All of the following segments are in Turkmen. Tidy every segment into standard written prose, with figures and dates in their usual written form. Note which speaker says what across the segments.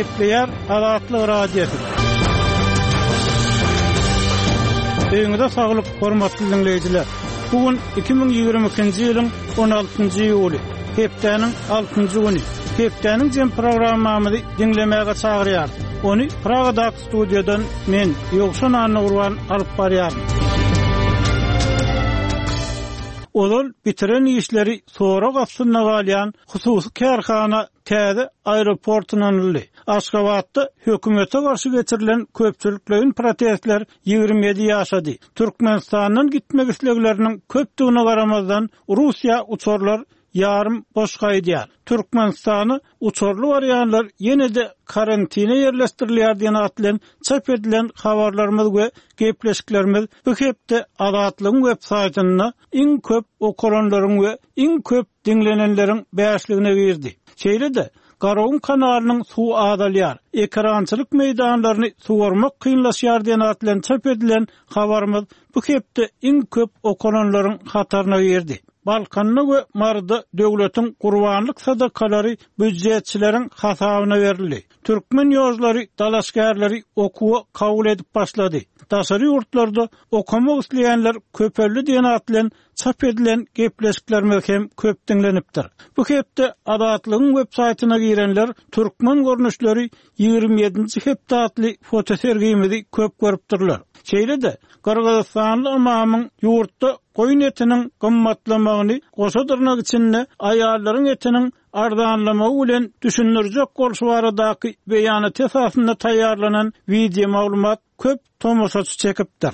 Speaker 1: Gepleýär Azatlyk Radiosy. Öýüňize saglyk, hormatly diňleýjiler! Bu gün 2022-nji ýylyň 16-njy iýuly, hepdäniň altynjy güni. Hepdäniň jem programmamyzy diňlemäge çagyrýarys. Ony Pragadaky studiýadan men, Ýowşan Annagurban alyp barýaryn. Ozal bitiren işleri sorag astynda galýan hususy kärhana täze aeroport ynanyldy. Aşgabatda hökümete garşy geçirilen köpçülikleýin protestler 27 ýaşady. Türkmenistandan gitmek islegleriniň köpdügine garamazdan, Russiýa uçarlar ýarym boş gaýdýar. Türkmenistana uçarly barýanlar ýene-de karantine ýerleşdirilýär diýen at bilen çap edilen habarlarymyz we gepleşiklerimiz bu hepde Azatlygyň web saýtynda iň köp okalanlaryň we iň köp diňlenenleriň bäşligine girdi. Şeýle-de, Garagum kanalynyň suwy azalýar, ekerançylyk meýdanlaryny suwarmak kynlaşýar diýen at bilen çap edilen habarymyz bu hepde iň köp okalanlaryň hataryna girdi. Balkanda we Maryda döwletiň gurbanlyk sadakalary býujetçileriň hasabyna berildi. Türkmen ýožlary dalaşgärleri okuwa kabul edip başlady. Daşary ýurtlarda okamak isleýänler köpeldi diýen at bilen çap edilen gepleşiklerimiz hem köp diňlenipdir. Bu hepde Azatlygyň web saýtyna girenler Türkmen görnüşleri 27-nji hepde atly fotosergimizi köp görüpdirler. Şeýle-de, gyrgyzystanly ymamyň ýurtda goýun etiniň gymmatlamagyny goşa dyrnak içinde aýallaryň etiniň arzanlamagy bilen düşündirjek bolşy baradaky beýanaty esasynda taýýarlanan wideomaglumat köp tomaşaçy çekipdir.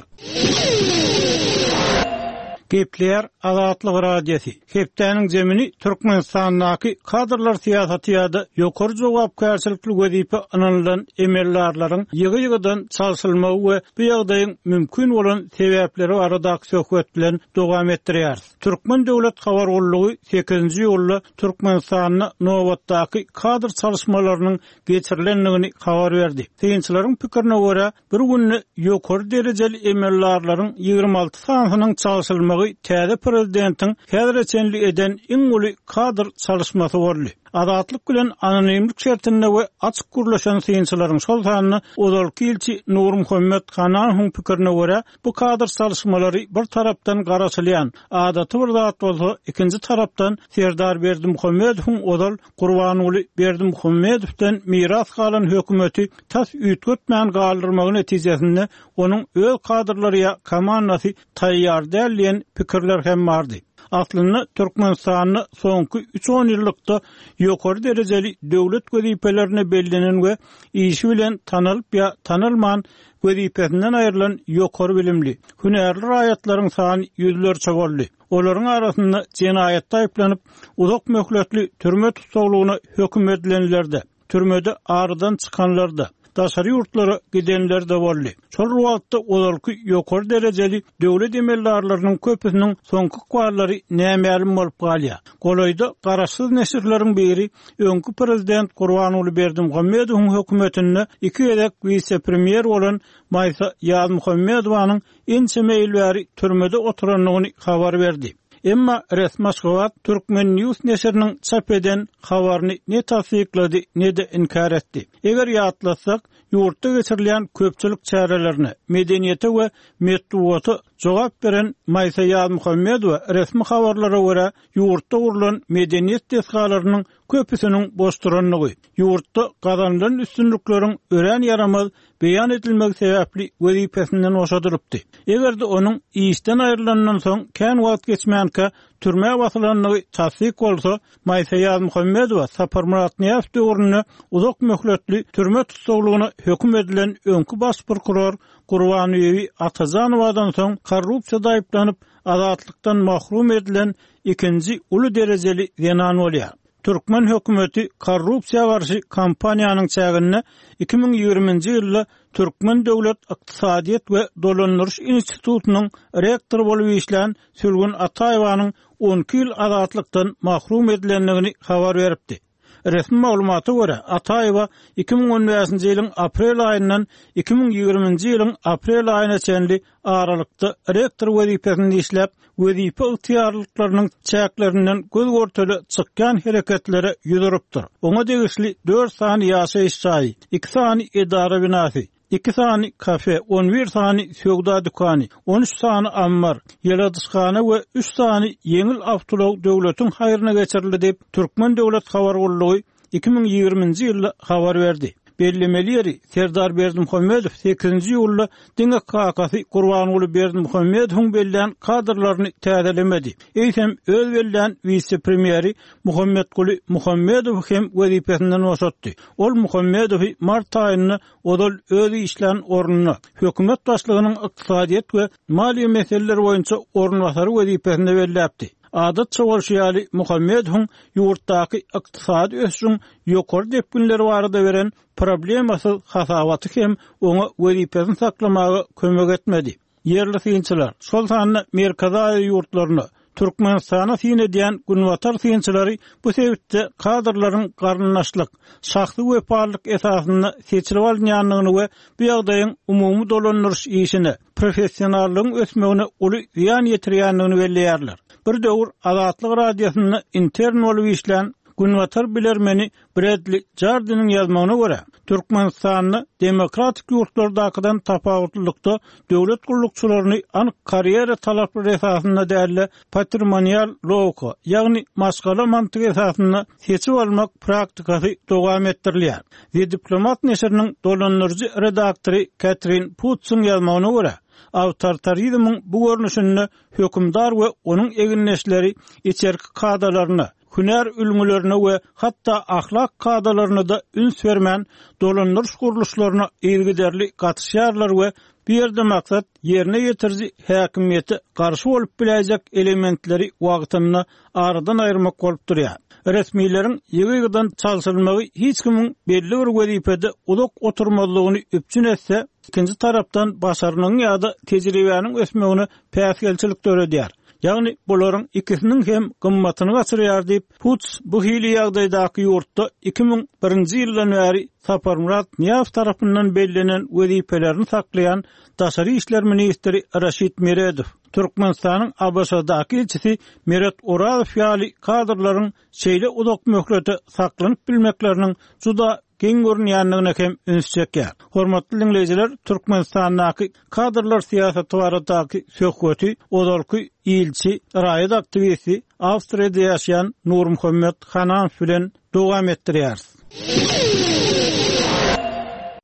Speaker 1: Gepleýär Azatlyk Radiosy, Hepdäniň zemini Türkmenistandaky kadrlar syýasaty ýa-da ýokary jogapkärçilikli wezipe ynanylan emeldarlaryň ýygy-ýygydan çalşylmagy we bu ýagdaýyň mümkin bolan sebäpleri baradaky söhbet bilen dowam etdirýäris. Türkmen döwlet habar gullugy sekizinji iýulda Türkmenistanda nobatdaky kadr çalyşmalarynyň geçirilendigini habar berdi. Synçylaryň pikirine görä, bir günde ýokary derejeli emeldarlaryň 26 sanysynyň çalşylmagy täze prezidentiň häzire çenli eden iň uly kadr çalyşmasy boldy. Azatlyk bilen anonimlik şertinde we açyk gürleşen synçylaryň, şol sanda ozalky ilçi Nurmuhammet Hananowyň pikirine görä, bu kadr çalyşmalary bir tarapdan garaşylýan, adaty bir zat bolsa, ikinji tarapdan Serdar Berdimuhamedowyň ozal Gurbanguly Berdimuhamedowdan miras galan hökümeti tas üýtgetmän galdyrmagy netijesinde onuň öz kadrlary ýa komandasy taýýar däl diýen pikirler hem bardy. Aslynda Türkmenistanda soňky üç onýyllykda ýokary derejeli döwlet wezipelerine bellenen we işi bilen tanalyp ýa tanalman wezipesinden aýrylan ýokary bilimli, hünärli raýatlaryň sany ýüzlerçe boldy. Olaryň arasynda jenaýatda aýyplanyp, uzak möhletli türme tussaglygyna höküm edilenler-de, türmede aradan çykanlar-da, daşary ýurtlara gidenler-de boldy. Şol bir wagtda ozalky ýokary derejeli döwlet emeldarlarynyň köpüsiniň soňky ykballary nämälim bolup galýar. Golaýda garaşsyz neşirleriň biri öňki prezident Gurbanguly Berdimuhamedowyň hökümetinde iki gezek wise-premýer bolan Maýsa Ýazmuhammedowanyň ençeme ýyl bäri türmede oturandygyny habar berdi. Emma resmi Aşgabat Turkmen News neşiriniň çap eden habaryny ne tassyklady, ne-de inkär etdi. Eger ýatlatsak, ýurtda geçirilýän köpçülik çärelerine, medeniýete we metbugata jogap beren Maýsa Ýazmuhammedowa resmi habarlara görä, ýurtda gurlan medeniýet desgalarynyň köpüsiniň boş durandygy, ýurtda gazanylan üstünlikleriň örän ýaramaz beýan edilmegi sebäpli wezipesinden boşadylypdy. Eger-de onuň işden aýrylandan soň kän wagt geçmänkä türmä basylandygy tassyk bolsa, Maýsa Ýazmuhammedowa Saparmyrat Nyýazow döwründe uzak möhletli türme tussaglygyna höküm edilen öňki baş prokuror Gurbanbibi Atajanowadan soň korrupsiýada aýyplanyp, azatlykdan mahrum edilen ikinji uly derejeli zenan bolýar. Türkmen hökümeti korrupsiýa garşy kampaniýanyň çäginde 2020-nji ýylda Türkmen döwlet ykdysadyýet we dolandyryş institutynyň rektory bolup işlän Sülgün Ataýewanyň 12 ýyl azatlykdan mahrum edilendigini habar beripdi. Resmi maglumata görä, Ataýewa 2015-nji ýylyň aprel aýyndan 2020-nji ýylyň aprel aýyna çenli aralykda rektor wezipesinde işläp, wezipe ygtyýarlyklarynyň çäklerinden göz-görtele çykýan hereketlere ýüz urupdyr. Oňa degişli dört sany ýaşaýyş jaýy, iki sany edara binasy, iki sany kafe, on bir sany söwda dükany, on üç sany ammar, ýyladyşhana we üç sany ýeňil awtoulag döwletiň haýryna geçirildi diýip, Türkmen döwlet habar gullugy 2020-nji ýylda habar berdi. Bellemeli ýeri, Serdar Berdimuhamedow sekizinji iýulda diňe kakasy Gurbanguly Berdimuhamedowyň bellän kadrlaryny täzelemedi, eýsem öz bellän wise-premýeri Muhammetguly Muhammedowy hem wezipesinden boşatdy. Ol Muhammedowy mart aýynda ozal öz işlän ornuna, hökümet başlygynyň ykdysadyýet we maliýe meseleleri boýunça orunbasary wezipesinde belläpdi. Adatça bolşy ýaly, Muhammedowyň ýurtdaky ykdysady ösüşiň ýokary depginleri barada beren problemasyz hasabaty hem oňa wezipesini saklamaga kömek etmedi. Ýerli synçylar, şol sanda Merkezi Aziýa ýurtlaryna, Türkmenistana syn edýän günbatar synçylary bu sebitde kadrlaryň garyndaşlyk, şahsy wepalylyk esasynda seçilip alynýandygyny we bu ýagdaýyň umumy dolandyryş işine, professionallygyň ösmegine uly zyýan ýetirýändigini belleýärler. Bir döwür Azatlyk Radiosynda intern bolup işlän günbatar bilermeni Bredli Jardiniň ýazmagyna görä, Türkmenistanda demokratik ýurtlardakydan tapawutlylykda döwlet gullukçylaryny anyk karýera talaplary esasynda däl-de, patrimonial logika, ýagny maşgala mantygy esasynda seçip almak praktikasy dowam etdirilýär. The Diplomat neşiriniň dolandyryjy redaktory Ketrin Putsyň ýazmagyna görä, awtoritarizmiň bu görnüşinde hökümdar we onuň egindeşleri içerki kadalaryna, hünär ülňülerine we hatda ahlak kadalaryna-da üns bermän, dolandyryş gurluşlaryna yzygiderli gatyşýarlar we bu ýerde maksat ýerine ýetiriji häkimiýete garşy bolup biläýjek elementleri wagtynda aradan aýyrmak bolup durýar. Resmileriň ýygy-ýygydan çalşyrylmagy hiç kimiň belli bir wezipede uzak oturmazlygyny üpjün etse, ikinji tarapdan başarnygyň ýa-da tejribäniň ösmegine päsgelçilik döredýär. Ýagny bularyň ikisiniň hem gymmatyny gaçyrýar diýip, Puts bu hili ýagdaýdaky ýurtda 2001-nji ýyldan bäri Saparmyrat Nyýazow tarapyndan bellenen wezipelerini saklaýan daşary işler ministri Raşid Meredow, Türkmenistanyň ABŞ-daky ilçisi Meret Orazow ýaly kadrlaryň şeýle uzak möhlete saklanyp bilmekleriniň juda geň görünýändigine hem üns çekýär. Hormatly diňleýjiler, Türkmenistandaky kadrlar syýasaty baradaky söhbeti ozalky ilçi, raýat aktiwisti, Awstriýada ýaşaýan Nurmuhammet Hananow bilen dowam etdirýäris.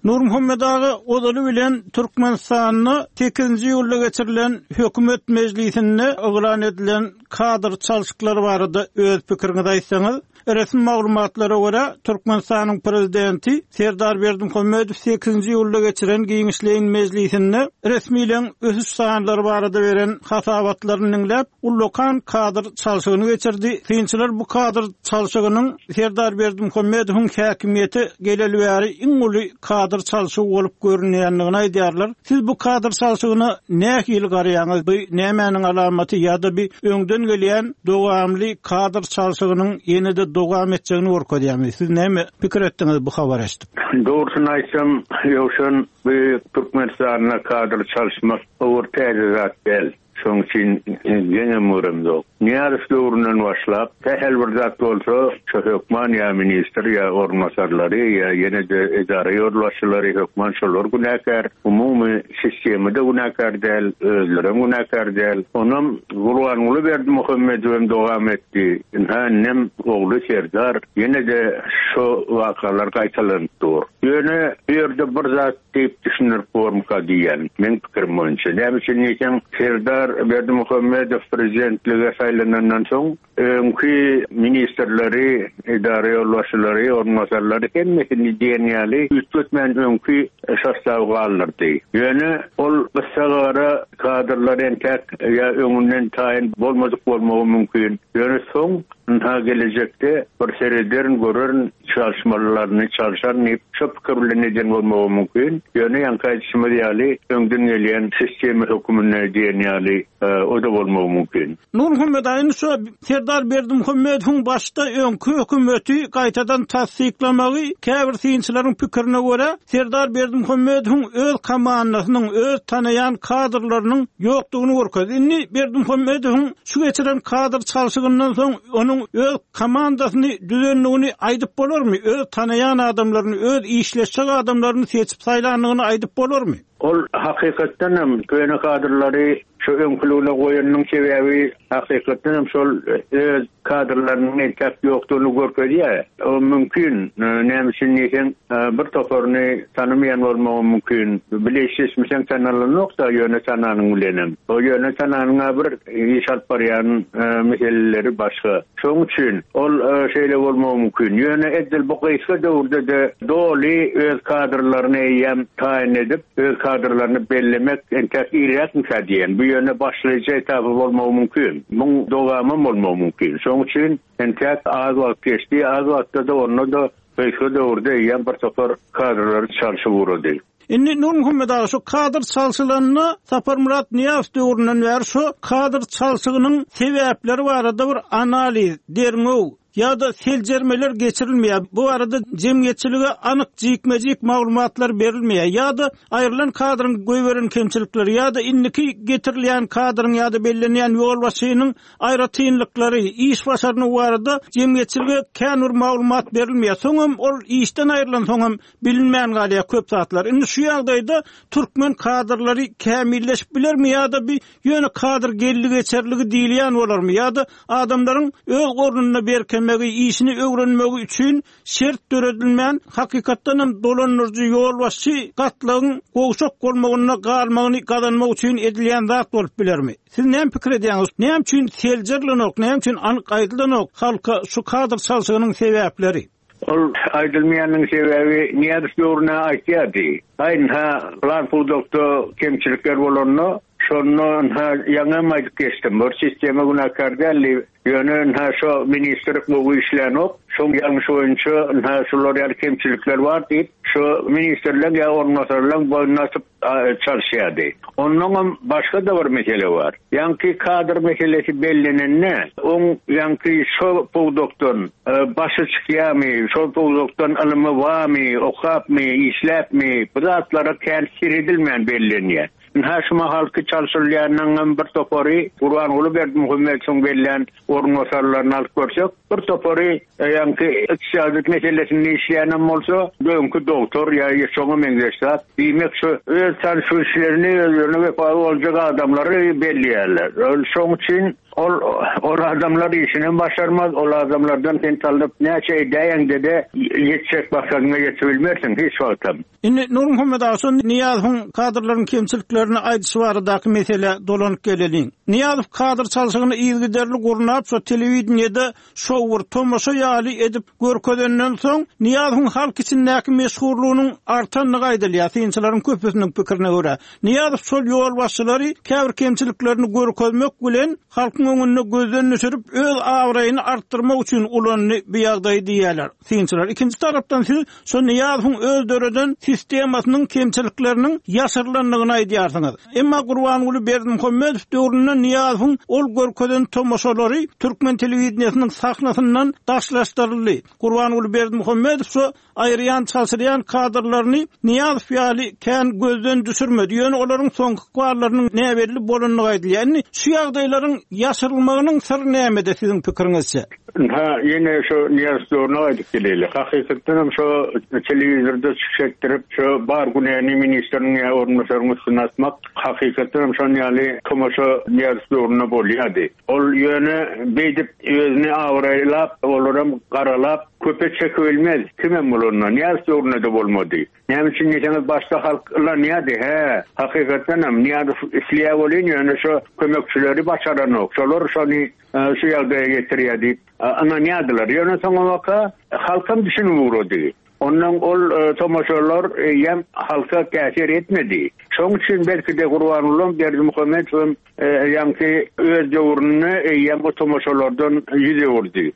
Speaker 1: Nurmuhammet aga, ozaly bilen Türkmenistanda sekizinji iýulda geçirilen hökümet mejlisinde yglan edilen kadr çalşyklary barada öz pikiriňizi aýtsaňyz? Resmi maglumatlara görä, Türkmenistanyň Prezidenti Serdar Berdimuhamedow sekizinji iýulda geçiren giňişleýin mejlisinde resmileň ösüş sanlary barada beren hasabatlaryny diňläp, ullakan kadr çalşygyny geçirdi. Synçylar bu kadr çalşygynyň Serdar Berdimuhamedowyň häkimiýete geleli bäri iň uly kadr çalşygy bolup görünýändigini aýdýarlar. Siz bu kadr çalşygyna nähili garaýaňyz? Bu nämäniň alamaty ýa-da bi öňden gelýän dowamly kadr çalşygynyň ýene-de dowam etjegini görkezýärmi? Siz näme pikir etdiňiz bu habary eşidip?
Speaker 2: Dogrusyny aýtsam, Ýowşan, bu Türkmenistanda kadr çalyşmak o bir täze zat däl. Şonuň üçin geňem göremzok. Nyýazow döwründen başlap, sähel bir zat bolsa, şo hökman ýa ministr, ýa orunbasarlary, ýa ýene-de edara ýolbaşçylary hökman şolar günäkär. Umumy sistema-da günäkär däl, özlerem günäkär däl. Onam Gurbanguly Berdimuhamedowem dowam etdi. Ynha indem ogly Serdar ýene-de şo wakalar gaýtalanyp dur. Ýöne bu ýerde bir zat diýip düşündirip bormyka diýýän, meň pikirim boýunça. Näme üçin diýseň, Serdar Berdimuhamedow prezidentlige saýlanandan soň, öňki ministrleri, edara ýolbaşçylary, orunbasarlary hemmesini diýen ýaly üýtgetmän öňki sostawy galdyrdy. Ýöne ol gyssagara kadrlar entäk ýa öňünden taýyn bolmadyk bolmagy mümkin. Ýöne soň Ynha gelejekde bir serederin, görerin, çalyşmalylaryny çalşaryn diýip, şo pikir bilen eden bolmagy mümkin. Ýöne ýaňky aýdyşymyz ýaly, öňden gelýän sistema höküminde diýen ýaly. O-da bolmagy mümkin.
Speaker 1: Nurmuhammet aga, indi şu Serdar Berdimuhamedowyň başda öňki hökümeti gaýtadan tassyklamagy käbir synçylaryň pikirine görä, Serdar Berdimuhamedowyň öz komandasynyň, öz tanaýan kadrlarynyň ýokdugyny görkezdi. Indi Berdimuhamedowyň şu geçiren kadr çalşygyndan soň onuň öz komandasyny düzendigini aýdyp bolarmy? Öz tanaýan adamlaryny, öz işleşjek adamlaryny seçip saýlandygyny aýdyp bolarmy?
Speaker 2: Ol hakykatdan hem köne kadrlary şu öňküligine goýanynyň sebäbi hakykatdan hem şol öz kadrlarynyň entäk ýokdugyny görkezýär. O mümkin, näme üçin diýseň, bir toparyny tanamaýan bolmagam mümkin. Bile işleşmeseň tanalanok-da ýöne tananyň bilenem. O ýöne tananyň-a bir iş alyp barýan meseleleri başga. Şonuň üçin ol şeýle bolmagy mümkin. Ýöne edil bu gysga döwürde-de doly öz kadrlaryny eýýäm taýyn edip, öz kadrlaryny bellemek entäk irräkmikä diýen. Bu ýöne başlaýjy etapy bolmagy mümkin. Muň dowamam bolmagy mümkin. Şonuň üçin entäk az wagt geçdi. Az wagtda-da onda-da gysga döwürde eýýäm bir topar kadrlary çalşyp ugrady.
Speaker 1: Indi Nurmuhammet aga şu kadr çalşylanda Saparmyrat Nyýazow döwründen bäri şu kadr çalşygynyň sebäpleri barada bir analiz, derňew ýa-da seljermeler geçirilmeýär. Bu barada jemgyýetçilige anyk jikme-jik maglumatlar berilmeýär. Ýa-da aýrylan kadryň goýberen kemçilikleri ýa-da indiki getirilýän kadryň ýa-da bellenýän ýolbaşçynyň aýratynlyklary, iş başarnygy barada jemgyýetçilige kän bir maglumat berilmeýär. Soňam ol işden aýrylansoňam Bilinmän galýar köp zatlar. Indi şu ýagdaýda türkmen kadrlary kämilleşip bilermi ýa-da bi ýöne kadr geldi-geçerligi diýilýän bolarmy ýa-da adamlaryň öz ornunda berkemegi, işini öwrenmegi üçin şert döredilmän, hakykatdan hem dolandyryjy ýolbaşçy gatlagyň gowşak bolmagynda galmagyny gazanmak üçin edilýän zat bolup bilermi? Siz näme pikir edýäňiz? Näme üçin seljerilenok, näme üçin anyk aýdylanok halka şu kadr çalşygynyň sebäpleri?
Speaker 2: Ol aýdylmaýanyň sebäbi Nyýazow döwründe aýtýardy. Aý ynha pylan pudakda kemçilikler bolanda, şonda ynha ýaňam aýdyp geçdim, bir sistema günäkär däl diýip, ýöne ynha şo ministr gowy işlänok, şoň ýalňyşy boýunça ynha şular ýaly kemçilikler bar diýip, şo ministrleň ýa orunbasarlaň boýnuna atyp çalyşýardy. Onnoňam başga-da bir mesele bar. Ýaňky kadr meselesi bellenende, oň ýaňky şo pudakdan başy çykýarmy, şol pudakdan ylymy barmy, okapmy, işläpmi, bu zatlara kän seredilmän bellenýär. Ynha şu mahalky çalşyrylýanyňam bir topary Gurbanguly Berdimuhamedowyň bellän orunbasarlaryny alyp görsek, bir topary ýaňky ykdysadyýet meselesinde işleýänem bolsa, öňki dogtor ýa şoňa meňzeş zat. Diýmek, şu öz tanyş-bilişlerini, özlerine wepaly boljak adamlary belleýärler. Şoň üçin ol ol adamlar işinem başarmaz, ol adamlardan sen talap näçe edäýeňde-de ýetjek maksadyňa ýetibilmersiň hiç wagtam.
Speaker 1: Indi Nurmuhammet aga şo Nyýazowyň kadrlaryň kemçiliklerini aýdyşy baradaky meselä dolanyp geleliň. Nyýazow kadr çalşygyny yzygiderli gurnap şo telewideniýede şou bir tomaşa ýaly edip görkezenden soň Nyýazowyň halk içindäki meşhurlygynyň artandygy aýdylýar synçylaryň köpüsiniň pikirine görä. Nyýazow şol ýolbaşçylary käbir kemçiliklerini görkezmek bilen halkyň öňünde gözden düşürip öz abraýyny artdyrmak üçin ulandy bu ýagdaýy diýýärler synçylar. Ikinji tarapdan siz Şo Nyýazowyň öz döreden sistemasynyň kemçilikleriniň ýaşyrylandygyny aýdýarsyňyz. Emma Gurbanguly Berdimuhamedow döwründe Nyýazowyň ol görkezen tomaşalary türkmen telewideniýesiniň sahnasyndan daşlaşdyryldy. Gurbanguly Berdimuhamedow şo aýyrýan, çalşyrýan kadrlaryny Nyýazow ýaly kän gözden düşürmedi. Ýöne olaryň soňky ykballarynyň näbelli bolandygy aýdylýar. Indi şu ýagdaýlaryň ýaşyrylmagynyň syry nämede siziň pikiriňizçe?
Speaker 2: Ynha, ýene şo Nyýazow döwrüne gaýdyp geleli. Hakykatdanam şo telewizorda çykyş etdirip, şo bar günäni ministriň ýa orunbasaryň üstüne atmak, hakykatdanam şon ýaly tomaşa Nyýazow döwründe bolýardy. Ol ýöne beýdip özüni abraýlap, olaram garalap, köpe çekibilmez, kimem bolanda. Nyýazow döwründe-de bolmady. Näme üçin diýseňiz, başda halk ynanýardy, hä, hakykatdanam Nyýazow isleýär welin, ýöne şo kömekçileri başaranok, şolar şony şu ýagdaýa getirýär diýip ynanýardylar. Ýöne soňabaka halkam düşünip ugrady. Ondan ol tomaşalar eýýäm halka täsir etmedi. Şoň üçin belki-de Gurbangulam Berdimuhamedowem ýaňky öz döwründe eýýäm o tomaşalardan ýüz öwürdi.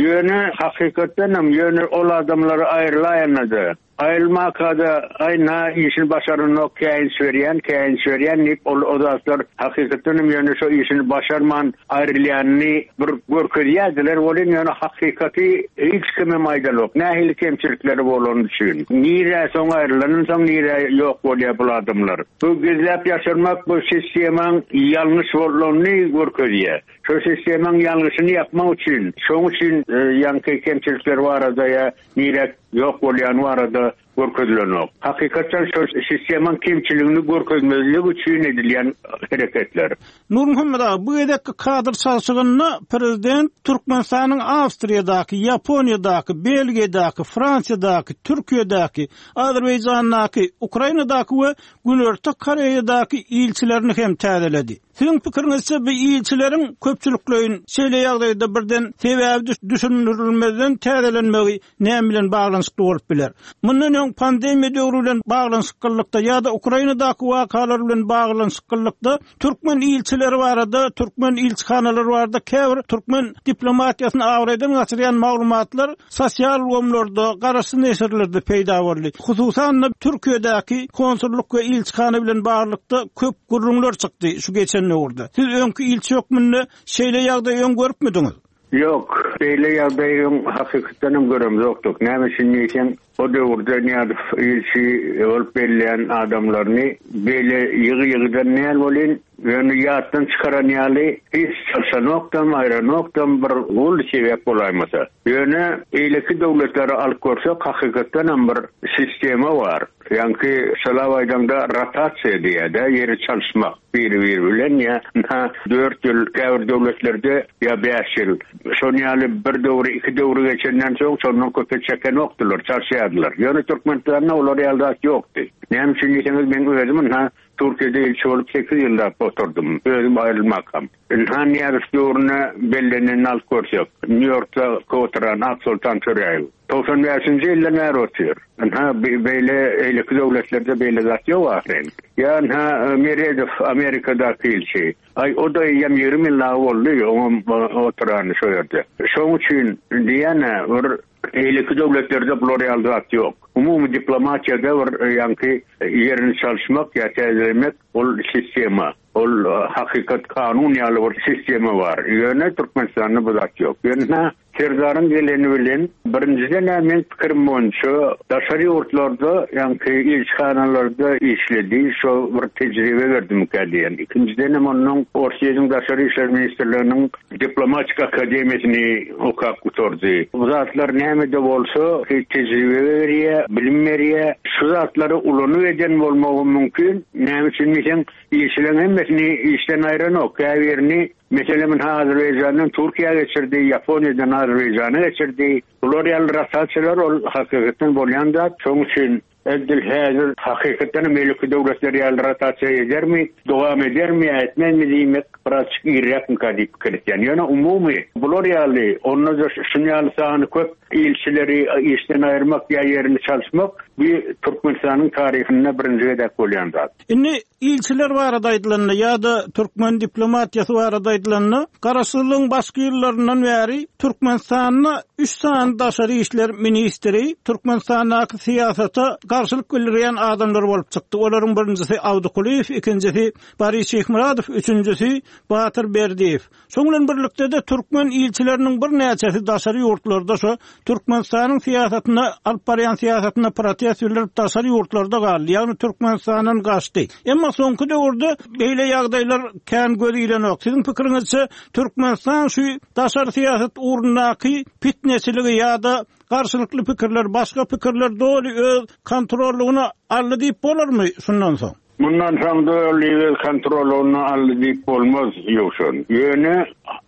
Speaker 2: Ýöne hakykatdanam ýöne ol adamlar aýrylaýanda-da, aýrylmaka-da, aý na işini başaranok, käýinç berýän, käýinç berýän diýip ol o zatlar hakykatdanam ýöne şo işini başarman aýrylýanyny bir görkezýärdiler welin ýöne hakykaty hiç kimem aýdanok nähili kemçilikleri bolany üçin. Nirä soň aýrylandan soň nirä ýok bolýar bul adamlar. Bu gizläp ýaşyrmak bu sistemaň ýalňyş bolanyny görkezýär. Şo sistemaň ýalňyşyny ýapmak üçin, şoň üçin ýaňky kemçilikler barada ýa nirä ýok bolýany barada görkezilenok. Hakykatdan şo sistemaň kemçiligini görkezmezlik üçin edilýän hereketler.
Speaker 1: Nurmuhammet aga, bu gezekki kadr çalşygynda prezident Türkmenistanyň Awstriýadaky, Ýaponiýadaky, Belgiýadaky, Fransiýadaky, Türkiýedäki, Azerbaýjandaky, Ukrainadaky we Günorta Koreýadaky ilçilerini hem täzeledi. Siziň pikiriňizçe bu ilçileriň köpçülikleýin şeýle ýagdaýda birden sebäbi düşündirilmezden täzelenmegi näme bilen baglanyşykly bolup biler? Mundan öň pandemiýa döwri bilen baglanyşyklylykda ýa-da Ukrainadaky wakalar bilen baglanyşyklylykda türkmen ilçileri barada, türkmen ilçihanalary barada käbir türkmen diplomatiýasyny abraýdan gaçyrýan maglumatlar sosial ulgamlarda, garaşsyz neşirlerde peýda boldy. Hususan-da, Türkiýedäki konsullyk we ilçihana bilen baglylykda köp gürrüňler çykdy şu geçen döwürde. Siz öňki ilçi hökmünde şeýle ýagdaýy öň görüpmidiňiz?
Speaker 2: Ýok, beýle ýagdaýy öň hakykatdanam göremzokdyk. Näme üçin diýseň, o döwürde Nyýazow ilçi bolup belleýän adamlaryny beýle ýygy-ýygydan däl welin, ýöne ýatdan çykaran ýaly hiç çalşanokdam, aýranokdam bir uly sebäp bolaýmasa. Ýöne beýleki döwletleri alyp görsek, hakykatdanam bir sistema bar. Ýaňky şalap aýdaňda rotasiýa diýýär-dä, ýeri çalyşmak biri-biri bilen ýa ynha dört ýyl käbir döwletlerde ýa bäş ýyl. Şon ýaly bir döwri, iki döwri geçenden soň şondan köpe çekenokdylar, çalyşýardylar. Ýöne Türkmenistanda olar ýaly zat ýokdy. Näme üçin diýseňiz, meň özüm ynha Türkiýede ilçi bolup sekiz ýyllap oturdym, özüm aýrylmakam. Ynha Nyýazow döwründe bellenenini alyp görsek, Nýu-Ýorkda oturan Aksoltan Töräýew. 95-nji ýyldan bäri otyr. Ynha, beýle eýleki döwletlerde beýle zat ýok ahyryn. Ýa ynha Meredow Amerikadaky ilçi. Aý, o-da eýýäm 20 ýyl dagy boldy, oňam oturany şo ýerde. Şoň üçin diýýän-ä, bir eýleki döwletlerde bular ýaly zat ýok. Umumy diplomatiýada bir ýaňky ýerini çalyşmak ýa täzelemek ol sistema. Ol hakykat kanun ýaly bir sistema bar. Ýöne Türkmenistanda bu zat ýok. Ýöne Serdaryň geleni bilen birinjiden-ä meň pikirim boýunça daşary ýurtlarda ýaňky ilçihanalarda işledi, şo bir tejribe berdimikä diýen. Ikinjidenem onnoň Orsýetiň Daşary işler ministrliginiň diplomatik akademiýasyny okap gutardy. Bu zatlar näme-de bolsa tejribe berýär, bilim berýär. Şu zatlary ulanyp eden bolmagam mümkin. Näme üçin diýseň, Ilçileriň hemmesini işden aýranok, käbirini, meselem, ynha Azerbaýjandan Türkiýä geçirdi, Ýaponiýadan Azerbaýjana geçirdi. Bular ýaly rotasiýalar ol hakykatdan bolýan zat. Şonuň üçin edil häzir hakykatdan hem beýleki döwletler ýaly rotasiýa edermi, dowam edermi ýa etmezmi diýmek birazjyk irräkmika diýip pikir etýän. Ýöne umumy bular ýaly, onda-da şuny ýaly sany köp ilçileri işden aýyrmak ýa ýerini çalyşmak bu Türkmenistanyň taryhynda birinji gezek bolýan zat.
Speaker 1: Indi ilçiler barada aýdylanda ýa-da türkmen diplomatiýasy barada aýdylanda, Garaşsyzlygyň başky ýyllaryndan bäri Türkmenistanda üç sany daşary işler ministri Türkmenistandaky syýasata garşylyk bildirýän adamlar bolup çykdy. Olaryň birinjisi Awdy Kulyýew, ikinjisi Boris Şyhmyradow, üçünjisi Batyr Berdiýew. Şoň bilen birlikde-de türkmen ilçileriniň birnäçesi daşary ýurtlarda şo Türkmenistanyň syýasatyna, alyp barýan syýasatyna protest bildirip daşary ýurtlarda galdy, ýagny Türkmenistandan gaçdy. Emma soňky döwürde beýle ýagdaýlar kän göz ilenok. Siziň pikiriňizçe Türkmenistan şu daşary syýasat ugrundaky pitneçiligi ýa-da garşylykly pikirler, başga pikirler doly öz kontrollygyna aldy diýip bolarmy şundan soň?
Speaker 2: Mundan soň doly öz kontrolyna aldy diýip bolmaz, Ýowşan. Ýöne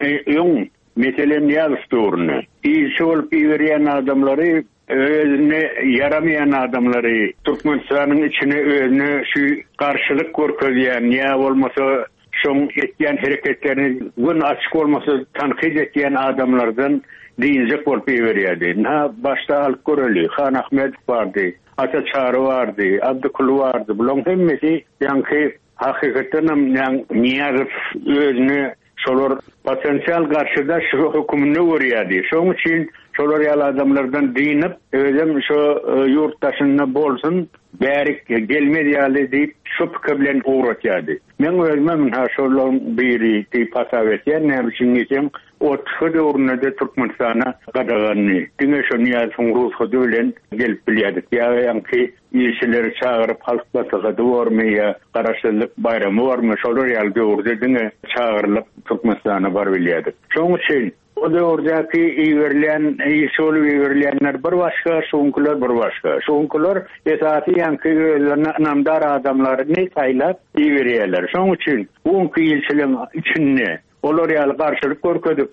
Speaker 2: öň, meselem, Nyýazow döwründe ilçi bolup iberýän adamlary, özüne ýaramaýan adamlary Türkmenistanyň içine özüne şu garşylyk görkezýän ýa bolmasa şoň etýän hereketlerini göni açyk bolmasa tankyt etýän adamlardan dynjak bolup iberýärdi. Ynha, başda alyp göreli, Han Ahmedow bardy. Ata Çary bardy, Abdykuly bardy. Bularyň hemmesi ýaňky hakykatdanam Nyýazow özüne şolar potensial garşydaş höküminde görýärdi. Şonuň üçin şolar ýaly adamlardan dynyp, özem şo ýurt daşynda bolsun, bärik gelmez ýaly diýip, şo pikir bilen ugratýardy. Meň özümem ynha şolaryň biri diýip hasap etýän, näme üçin diýseň, OTH döwründe-de Türkmenistana gadagandy. Diňe şo Nyýazowyň rugsady bilen gelip bilýärdik. Ýa ýaňky ilçileri çagyryp halk maslahaty bormy ýa Garaşsyzlyk baýramy bormy, şolar ýaly döwürde diňe çagyrylyp Türkmenistana barybilýärdik. Şonuň üçin O döwürdäki iberilýän, ilçi bolup iberilýänler bir başga, şuňkylar bir başga. Şuňkylar esasy ýaňky özlerine ynamdar adamlaryny saýlap iberýärler. Şonuň üçin bu günki ilçiligiň içinde olar ýaly garşylyk görkezip,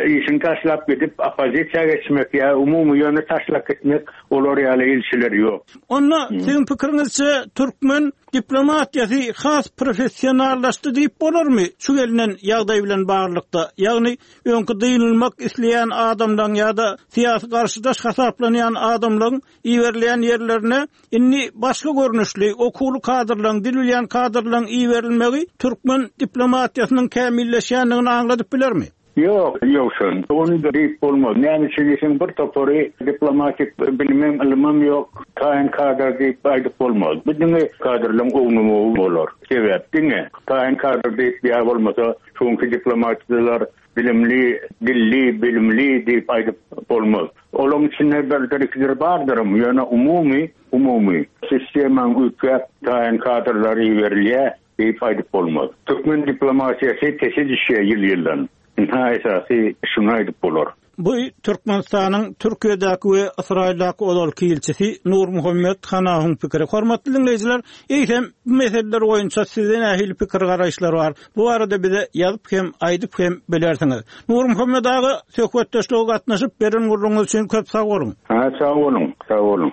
Speaker 2: işini taşlap gidip oppozisiýa geçmek ýa umumy ýöne taşlap gitmek olar ýaly ilçiler ýok.
Speaker 1: Onda siziň pikiriňizçe türkmen diplomatiýasy has professionallaşdy diýip bolarmy şu gelnen ýagdaý bilen baglylykda? Ýagny öňki dynylmak isleýän adamlaryň ýa-da syýasy garşydaş hasaplanýan adamlaryň iberilýän ýerlerine indi başga görnüşli, okuwly kadrlaryň, dil bilýän kadrlaryň iberilmegi türkmen diplomatiýasynyň kämilleşýändigini aňladyp bilermi?
Speaker 2: Ýok, Ýowşan, ony diýip bolmaz. Näme üçin diýseň, bir topary diplomatik bilimem, ylymam ýok, taýyn kadr diýip aýdyp bolmaz. Bu diňe kadrlaryň ownamagy bolar. Sebäp diňe taýyn kadr diýip ýa bolmasa Şu günki diplomatçylar bilimli, dilli, bilimli diýip aýdyp bolmaz. Olaryň içinde birdir-ikidir bardyram, ýöne umumy, umumy sistemaň üýtgäp, taýyn kadrlar iberilýär diýip aýdyp bolmaz. Türkmen diplomatiýasy pese düşýär ýyl-ýyldan. Ynha esasy şuny aýdyp bolar.
Speaker 1: Bu Türkmenistanyň Türkiýedäki we Ysraýyldaky ozalky ilçisi Nurmuhammet Hanawyň pikiri. Hormatly diňleýjiler, eýsem, bu meseleler boýunça sizde nähili pikir-garaýyşlar bar? Bu barada bize ýazyp hem, aýdyp hem bilersiňiz. Nurmuhammet aga, söhbetdeşlige gatnaşyp, beren gürrüňiňiz üçin köp sag boluň!
Speaker 2: Ha, sag boluň, sag boluň!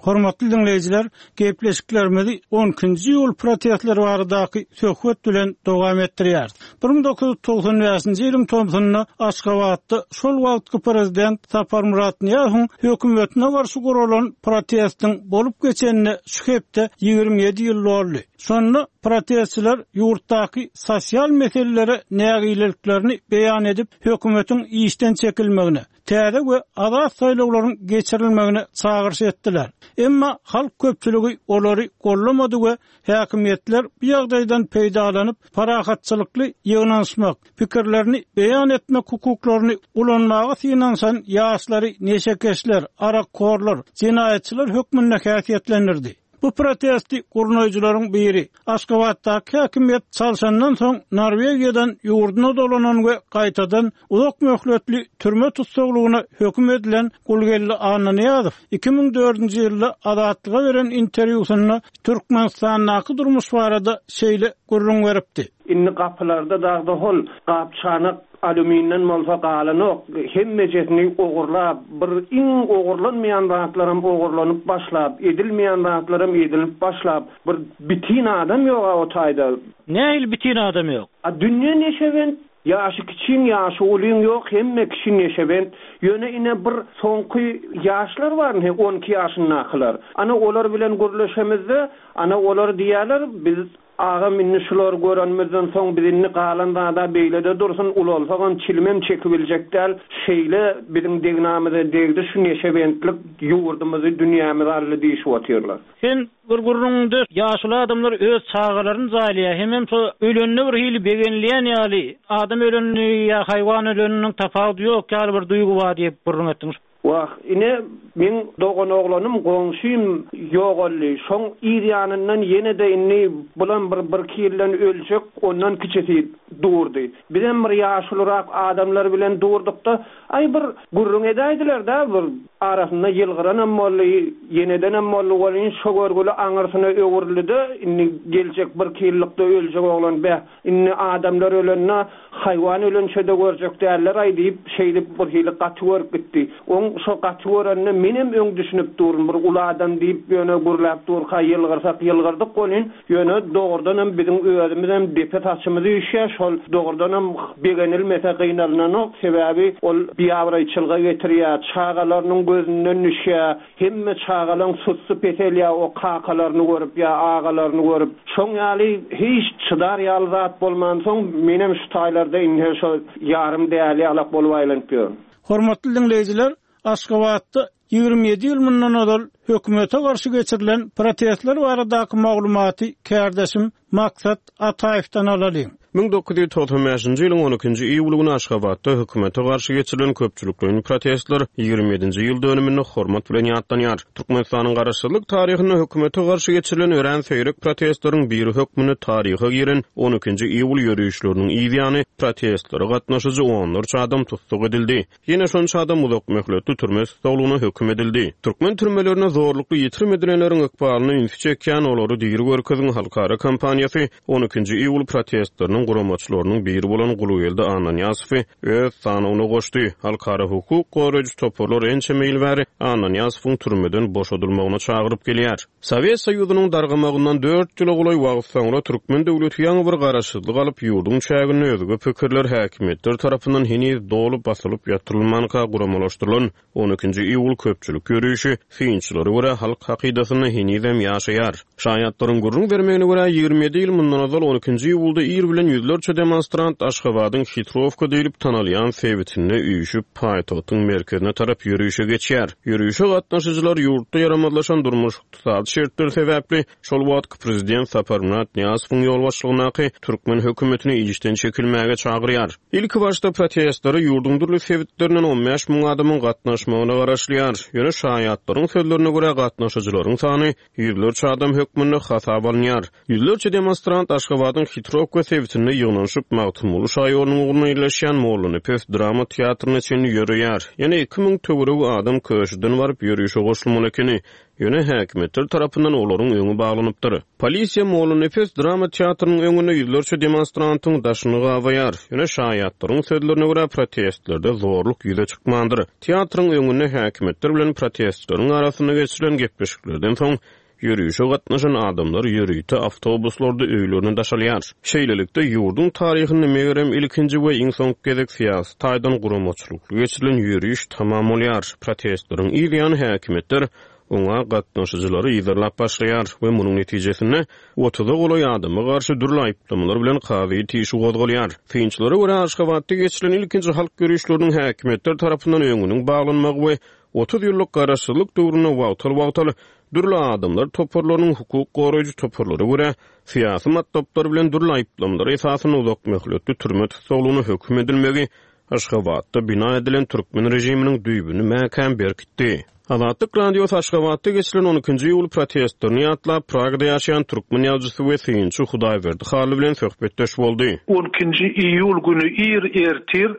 Speaker 1: Hormatly diňleýjiler, gepleşiklerimizi on ikinji iýul protestleri baradaky söhbet bilen dowam etdirýäris. 1995-nji ýylyň tomsunda Aşgabatda şol wagtky prezident Saparmyrat Nyýazowyň hökümetine garşy guralan protestiň bolup geçenine şu hepde 27 ýyl doldy. Şonda protestçiler ýurtdaky sosial meselelere nägileliklerini beýan edip, hökümetiň işden çekilmegine, täze we azat saýlawlaryň geçirilmegine çagyryş etdiler. Emma halk köpçüligi olary gollamady we häkimiýetler bu ýagdaýdan peýdalanyp, parahatçylykly ýygnanyşmak, pikirlerini beýan etmek hukuklaryny ulanmaga synanyşan ýaşlary neşekeşler, arakhorlar, jenaýatçylar hökmünde häsiýetlendirdi. Bu protesti gurnaýjylaryň biri, Aşgabatdaky häkimiýet çalşandan soň Norwegiýadan ýurduna dolanan we gaýtadan uzak möhletli türme tussaglygyna höküm edilen Gulgeldi Annanyýazow 2004-nji ýylda Azatlyga beren interwýusynda Türkmenistandaky durmuş barada şeýle gürrüň beripdi.
Speaker 3: Indi gapylarda dagda hol gap-çanak alýuminden bolsa galanok, hemmejesini ogurlap, bir iň ogurlanmaýan zatlaram ogurlanyp başlap, edilmeýän zatlaram edilip başlap, bir bitin adam ýog-a o taýda.
Speaker 1: Nähili bitin adam ýok?
Speaker 3: A dünýe neşebent, ýaşy kiçiň, ýaşy ulyň ýok, hemme kişi neşebent. Ýöne ine bir soňky ýaşlar bar ine 12 ýaşyndakylar. Ana olar bilen gürleşemizde, ana olar diýýärler, biz Agam indi şulary görenimizden soň biz indi galan zada beýlede dursun ulalsagam çilimem çekibiljek däl şeýle biziň degnamyza degdi şu neşebentlik ýurdumyzy dünýämizi aldy diýişip otyrlar.
Speaker 1: Sen bir gürrüňiňde ýaşuly adamlar öz çagalaryny jaýlaýar hemem şo ölende bir hili begenilýän ýaly adam ölenini ýa haýwan öleniniň tapawudy ýok ýaly bir duýgy bar diýip gürrüň etdiň.
Speaker 3: Wah, ine, meň doganoglanym, goňşym ýogaldy. Şoň yz ýanyndan ýene-de indi bulam bir birki ýyldan öljek, ondan kiçisi durdy. Bizem bir ýaşulurak adamlar bilen durduk-da, aý, bir gürrüň edäýdiler-dä, bir arasynda ýylgyranam boldy, ýenedenem boldy welin, şo görgüli aňyrsyna öwrüldi-de, indi geljek birki ýyllykda öljek oglan, beh, Indi adamlar ölende, haýwan ölençe-de görjek däldir-aý diýip, şeýdip birhili gaty görüp gitdi. Oň şo gaty görenine. Menem öň düşünip durun, bir uly adam diýip ýöne gürläp durka ýylgyrsak ýylgyrdyk welin, ýöne dogrudanam biziň özümizem depe saçymyz üýşýär, şol dogrudanam begenilmese gynalynanok, sebäbi ol biabraýçylyga getirýär, çagalarynyň gözünden düşýär, hemme çagalaň sussy peselýär o kakalaryny görüp ýa agalaryny görüp. Şoň ýaly hiç çydar ýaly zat bolmansoň menem şu taýlarda indi şo ýarym däli ýalak bolup aýlanyp ýörün.
Speaker 1: Hormatly diňleýjiler, Aşgabatda 27 ýyl mundan ozal hökümete garşy geçirilen protestler baradaky maglumaty kärdeşim Maksat Ataýewden alalyň.
Speaker 4: 1995-nji ýylyň on ikinji iýuly güni Aşgabatda hökümete garşy geçirilen köpçülikleýin protestler ýigrimi ýedinji ýyl dönüminde hormat bilen ýatlanýar. Türkmenistanyň garaşsyzlyk taryhynda hökümete garşy geçirilen örän seýrek protestleriň biri hökmünde taryha giren on ikinji iýul ýörişleriniň yz ýany protestlere gatnaşyjy onlarça adam tussag edildi. Ýene şonça adam uzak möhletli türme tussaglygyna höküm edildi. Türkmen türmelerinde zorlukly ýitirim edilenleriň ykbalyna ünsi çekýän Olary diri görkeziň halkara kampaniýasy on ikinji iýul protestleriniň guramaçylarynyň biri bolan Gulgeldi Annanyýazowy öz sanawyna goşdy. Halkara hukuk goraýjy toparlar ençeme ýyl bäri Annanyýazowyň türmeden boşadylmagyna çagyryp gelýär. Sowet Soýuzynyň dargamagyndan dört ýyla golaý wagt soňra türkmen döwleti ýaňy bir garaşsyzlyk alyp, ýurduň çäginde özge pikirler häkimiýetler tarapyndan heniz doly basylyp ýatyrylmanka guramalaşdyrylan on ikinji iýul köpçülik ýörişi, synçylara görä, halk hakydasynda henizem ýaşaýar. Şaýatlaryň gürrüň bermegine görä, 27 ýyl mundan ozal on ikinji iýulda ir bilen ýüzlerçe demonstrant Aşgabadyň Hitrowka diýlip tanalýan sebitinde üýşüp, paýtagtyň merkezine tarap ýörişe geçýär. Ýörişe gatnaşyjylar ýurtda ýaramazlaşan durmuş-ykdysady şertler sebäpli şol wagtky prezident Saparmyrat Nyýazowyň ýolbaşçylygyndaky türkmen hökümetini işden çekilmäge çagyrýar. Ilkibaşda protestlere ýurduň dürli sebitlerinden 15 müň adamyň gatnaşmagyna garaşylýar. Ýöne şaýatlaryň sözlerine görä, gatnaşyjylaryň sany ýüzlerçe adam hökmünde hasaba alynýar. Ýüzlerçe demonstrant Aşgabadyň Hitrowka sebitinde ýygnanyşyp, Magtymguly şaýolunyň ugrunda ýerleşýän Mollanepes drama teatryna çenli ýöreýär. Ýene 2000 töweregi adam Köşüden baryp, ýörişe goşulmaly ekeni. Ýöne häkimiýetler tarapyndan olaryň öňi baglanypdyr. Polisiýa Mollanepes drama teatrynyň öňünde ýüzlerçe demonstrantyň daşyny gabaýar. Ýöne şaýatlaryň sözlerine görä, protestlerde zorluk ýüze çykmandyr. Teatryň öňünde häkimiýetler bilen protestçileriň arasynda geçirilen gepleşiklerden soň, ýörişe gatnaşan adamlar ýörite awtobuslarda öýlerine daşalýar. Şeýlelikde, ýurduň taryhynda megerem ilkinji we iň soňky gezek syýasy taýdan guramaçylykly geçirilen ýöriş tamam bolýar. Protestleriň yz ýany häkimiýetler oňa gatnaşyjylary yzarlap başlaýar we munuň netijesinde otuza golaý adama garşy dürli aýyplamalar bilen kazyýet işi gozgalýar. Synçylara görä, Aşgabatda geçirilen ilkinji halk ýörişleriniň häkimiýetler tarapyndan öňüniň baglanmagy we 30 ýyllyk garaşsyzlyk döwründe wagtal-wagtal dürli adamlar toparlarynyň hukuk goraýjy toparlara görä syýasy matlaplar bilen dürli aýyplamalar esasynda uzak möhletli türme tussaglygyna höküm edilmegi Aşgabatda bina edilen türkmen režiminiň düýbüni mäkäm berkitdi. Azatlyk Radiosy Aşgabatda geçirilen on ikinji iýul protestlerini ýatlap, Pragada ýaşaýan türkmen ýazyjysy we synçy Hudaýberdi Hally bilen söhbetdeş boldy.
Speaker 5: On ikinji iýul güni ir ertir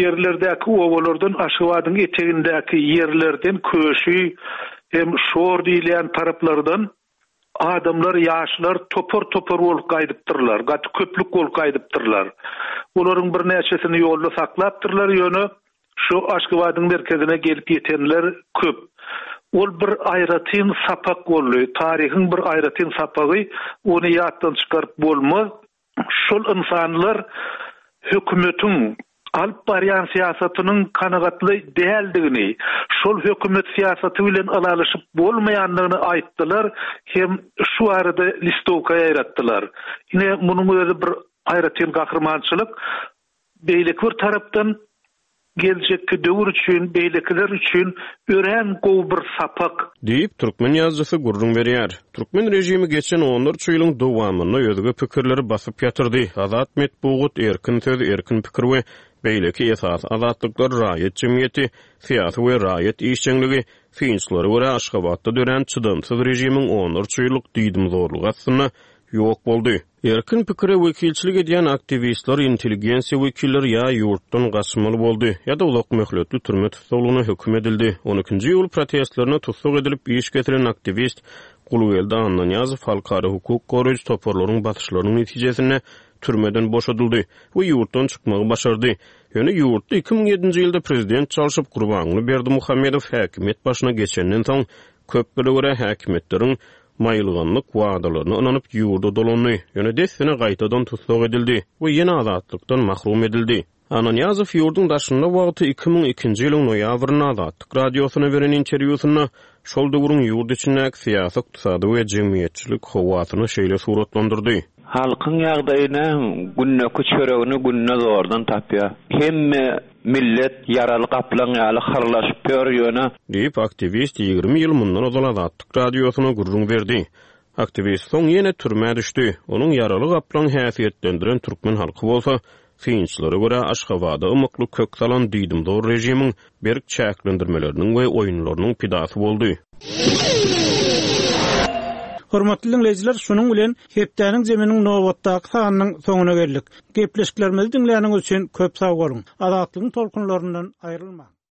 Speaker 5: ýerlerdäki obalardan Aşgabadyň etegindäki ýerlerden Köşi hem Şor diýilýän taraplardan Adamlar, ýaşlar topar-topar bolup gaýdypdyrlar, gaty köplük bolup gaýdypdyrlar. Olaryň birnäçesini ýolda saklapdyrlar, ýöne şu Aşgabadyň merkezine gelip ýetenler köp. Ol bir aýratyn sapak boldy, taryhyň bir aýratyn sapagy, ony ýatdan çykaryp bolmaz. Şol ynsanlar hökümetiň alyp barýan syýasatynyň kanagatly däldigini, şol hökümet syýasaty bilen ylalaşyp bolmaýandygyny aýtdylar hem şu barada listowka ýaýratdylar. Ine, munuň özi bir aýratyn gahrymançylyk. Beýleki bir tarapdan, geljekki döwür üçin, beýlekiler üçin örän gowy bir sapak.
Speaker 4: Diýip, türkmen ýazyjysy gürrüň berýär. Türkmen režimi geçen onlarça ýylyň dowamynda özge pikirleri basyp ýatyrdy. Azat metbugat, erkin söz, erkin pikir we beýleki esasy azatlyklar raýat jemgyýeti, syýasy we raýat işjeňligi, synçylara görä, Aşgabatda dörän çydamsyz režimiň onlarça ýyllyk diýdimzorlugy astynda ýok boldy. Erkin pikire wekilçilik edýän aktiwistler, intelligensiýa wekilleri ýa ýurtdan gaçmaly boldy, ýa-da uzak möhletli türme tussaglygyna höküm edildi. On ikinji iýul protestlerinde tussag edilip, iş kesilen aktiwist Gulgeldi Annanyýazow halkara hukuk goraýjy toparlaryň basyşlarynyň netijesinde. türmeden boşadyldy we ýurtdan çykmagy başardy. Ýöne ýurtda 2007-nji ýylda prezident çalşyp, Gurbanguly Berdimuhamedow häkimiýet başyna geçenden soň, köplere görä häkimiýetleriň maýylganlyk wadalaryna ynanyp ýurda dolandy, ýöne dessine gaýtadan tussag edildi we ýene azatlykdan mahrum edildi. Annanyýazow ýurduň daşynda wagty 2002-nji ýylyň noýabrynda Azatlyk Radiosyna beren interwýusynda şol döwrüň ýurt içindäki syýasy-ykdysady we jemgyýetçilik howasyny şeýle suratlandyrdy.
Speaker 6: Halkyň ýagdaýy näme, gündeki çöregini günde zordan tapýar. Hemme millet ýaraly gaplaň ýaly hyrlaşyp ýör, ýöne.
Speaker 4: Diýip, aktiwist 20 ýyl mundan ozal Azatlyk Radiosyna gürrüň berdi. Aktiwist soň ýene türmä düşdi. Onuň ýaraly gaplaň häsiýetlendiren türkmen halky bolsa, synçylara görä, Aşgabada ymykly kök salan diýdimzor režimiň berk çäklendirmeleriniň we oýunlarynyň pidasy boldy.
Speaker 1: Hormatly diňleýjiler, şunuň bilen hepdäniň jeminiň nobatdaky sanynyň soňuna geldik. Gepleşiklerimizi diňläniňiz üçin köp sag boluň! Azatlygyň tolkunlaryndan aýrylmaň!